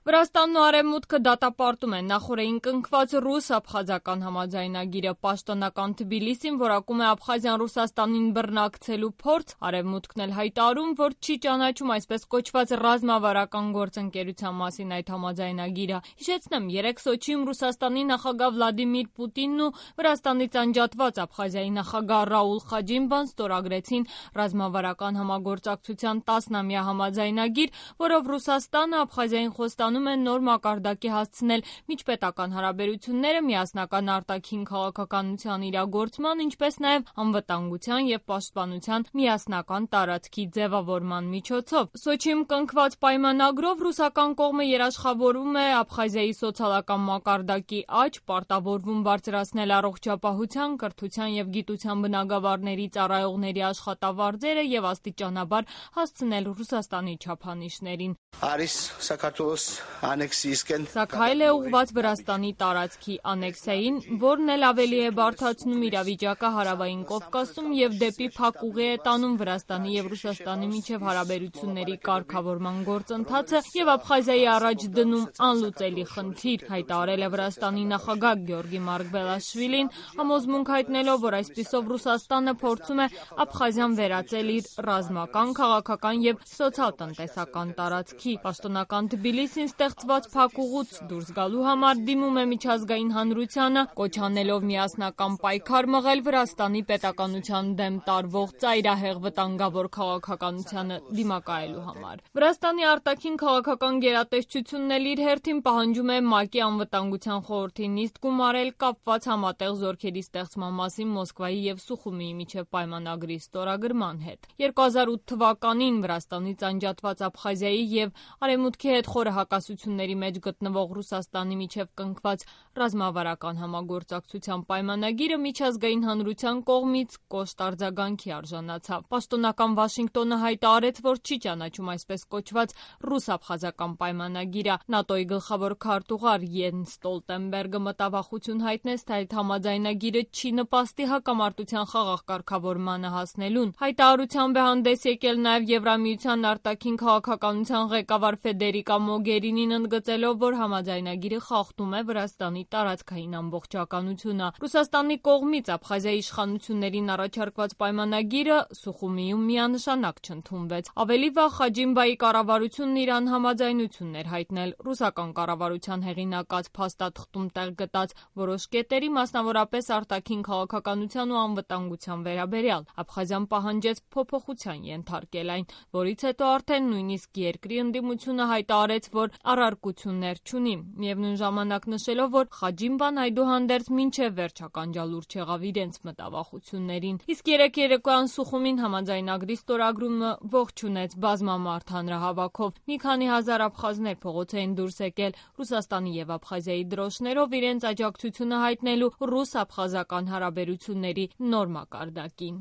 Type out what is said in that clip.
Վրաստանն ու Արևմուտքը դատապարտում են նախօրեին կնքված ռուս-աբխազական համաձայնագիրը։ Պաշտոնական Թբիլիսին որակում է Աբխազիան Ռուսաստանին բռնակցելու փորձ, Արևմուտքն էլ հայտարարում, որ չի ճանաչում այսպես կոչված ռազմավարական գործընկերության մասին այդ համաձայնագիրը։ Հիշեցնեմ, երեկ Սոչիում Ռուսաստանի նախագահ Վլադիմիր Պուտինն ու Վրաստանից անջատված Աբխազիայի նախագահ Ռաուլ Խաջիմբան ստորագրեցին ռազմավարական համագործակցության 10-ամյա համաձայնագիր, որով Ռուսաստանը Աբխազիային խոստանում է նոր մակարդակի հասցնել միջպետական հարաբերությունները միասնական արտաքին քաղաքականության իրագործման, ինչպես նաև անվտանգության և պաշտպանության միասնական տարածքի ձևավորման միջոցով։ Սոչիում կնքված պայմանագրով ռուսական կողմը երաշխավորում է Աբխազիայի սոցիալական մակարդակի աճ, պարտավորվում բարձրացնել առողջապահության, կրթության և գիտության բնագավառների ծառայողների աշխատավարձերը և աստիճանաբար հասցնել Ռուսաստանի չափանիշներին։ Սա քայլ է ուղղված Վրաստանի տարածքի անեքսիային, որն էլ ավելի է բարդացնում իրավիճակը Հարավային Կովկասում և դեպի փակ ուղի է տանում Վրաստանի և Ռուսաստանի միջև հարաբերությունների կարգավորման գործընթացը և Աբխազիայի առաջ դնում անլուծելի խնդիր, հայտարարել է Վրաստանի նախագահ Գյորգի Մարկվելաշվիլին, համոզմունք հայտնելով, որ այսպիսով Ռուսաստանը փորձում է Աբխազիան վերածել իր ռազմական, քաղաքական և սոցիալ-տնտեսական տարածքի։ Պաշտոնական Թբիլիսին ստեղծված փակ ուղուց դուրս գալու համար դիմում է միջազգային հանրությանը, կոչ անելով միասնական պայքար մղել Վրաստանի պետականության դեմ տարվող ծայրահեղ վտանգավոր քաղաքականությանը դիմակայելու համար։ Վրաստանի արտաքին քաղաքական գերատեսչությունն էլ իր հերթին պահանջում է ՄԱԿ-ի անվտանգության խորհրդի նիստ գումարել կապված համատեղ զորքերի ստեղծման մասին Մոսկվայի և Սուխումիի միջև պայմանագրի ստորագրման հետ։ 2008 թվականին Վրաստանից անջատված Աբխազիայի և Արևմուտքի հետ խորը հակասությունների մեջ գտնվող Ռուսաստանի միջև կնքված ռազմավարական համագործակցության պայմանագիրը միջազգային հանրության կողմից կոշտ արձագանքի արժանացավ։ Պաշտոնական Վաշինգտոնը հայտարարեց, որ չի ճանաչում այսպես կոչված ռուս-աբխազական պայմանագիրը։ ՆԱՏՕ-ի գլխավոր քարտուղար Յենս Ստոլտենբերգը մտավախություն հայտնեց, թե այդ համաձայնագիրը չի նպաստի հակամարտության խաղաղ կարգավորմանը հասնելուն։ Հայտարարությամբ է հանդես եկել նաև Եվրամիության արտաքին քաղաքականության ղեկավար Ֆեդերիկա Մոգերինին, ընդգծելով, որ համաձայնագիրը խախտում է Վրաստանի տարածքային ամբողջականությունը։ Ռուսաստանի կողմից Աբխազիայի իշխանություններին առաջարկված պայմանագիրը Սուխումիում միանշանակ չընդունվեց։ Ավելի վաղ Խաջիմբայի կառավարությունն իր անհամաձայնությունն էր հայտնել ռուսական կառավարության հեղինակած փաստաթղթում տեղ գտած որոշ կետերի, մասնավորապես արտաքին քաղաքականության ու անվտանգության վերաբերյալ։ Աբխազիան պահանջեց փոփոխության ենթարկել այն, որից հետո արդեն նույնիսկ երկրի ընդդիմությունը հայտարարեց, որ առարկություններ չունի, միևնույն ժամանակ նշելով, որ Խաջիմբան այդուհանդերձ մինչև վերջ ականջալուր չեղավ իրենց մտավախություններին։ Իսկ երեկ երեկոյան Սուխումին համաձայնագրի ստորագրումը ողջունեց բազմամարդ հանրահավաքով։ Մի քանի հազար աբխազներ փողոց էին դուրս եկել Ռուսաստանի և Աբխազիայի դրոշներով իրենց աջակցությունը հայտնելու ռուս-աբխազական հարաբերությունների նոր մակարդակին։